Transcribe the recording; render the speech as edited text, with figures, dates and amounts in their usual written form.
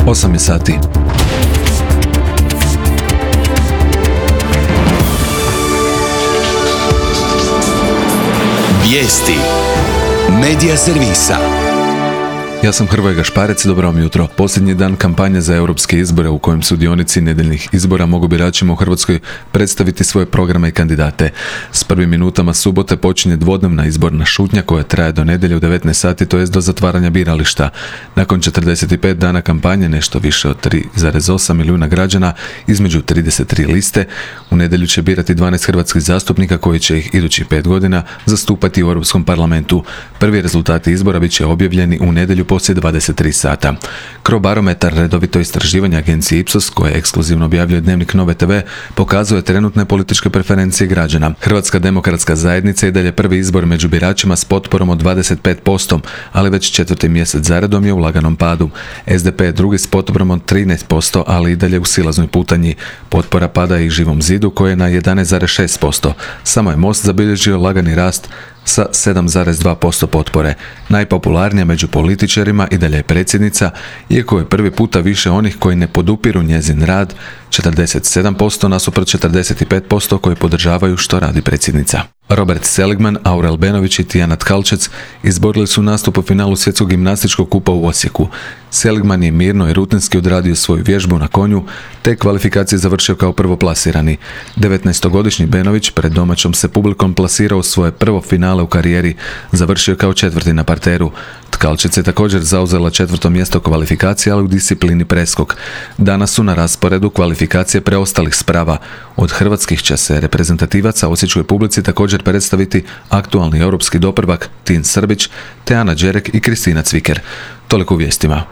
8 je sati. Vijesti Medija servisa. Ja sam Hrvoje Gašparec, dobro vam jutro. Posljednji dan kampanje za europske izbore u kojem sudionici nedeljnih izbora mogu biračima u Hrvatskoj predstaviti svoje programe i kandidate. S prvim minutama subote počinje dvodnevna izborna šutnja koja traje do nedjelje u 19 sati, to jest do zatvaranja birališta. Nakon 45 dana kampanje, nešto više od 3,8 milijuna građana između 33 liste, u nedjelju će birati 12 hrvatskih zastupnika koji će ih idućih 5 godina zastupati u Europskom parlamentu. Prvi rezultati izbora bit će objavljeni u nedjelju poslije 23 sata. Crobarometar, redovito istraživanje agencije Ipsos, koje ekskluzivno objavljuje Dnevnik Nove TV, pokazuje trenutne političke preferencije građana. Hrvatska demokratska zajednica i dalje prvi izbor među biračima s potporom od 25%, ali već četvrti mjesec zaredom je u laganom padu. SDP je drugi s potporom od 13%, ali i dalje u silaznoj putanji. Potpora pada i Živom zidu koje je na 11,6%. Samo je Most zabilježio lagani rast sa 7,2% potpore. Najpopularnija među političarima i dalje je predsjednica, iako je prvi puta više onih koji ne podupiru njezin rad, 47% nasuprot 45% koji podržavaju što radi predsjednica. Robert Seligman, Aurel Benović i Tijana Tkalčec izborili su nastup u finalu svjetskog gimnastičkog kupa u Osijeku. Seligman je mirno i rutinski odradio svoju vježbu na konju, te kvalifikacije završio kao prvoplasirani. 19-godišnji Benović pred domaćom se publikom plasirao svoje prvo finale u karijeri, završio kao četvrti na parteru. Tkalčec je također zauzela četvrto mjesto kvalifikacije, ali u disciplini preskok. Danas su na rasporedu kvalifikacije preostalih sprava. Od hrvatskih će se reprezentativaca osječkoj publici također predstaviti aktualni europski doprvak Tin Srbić, te Ana Đerek i Kristina Cviker. Toliko u vijestima.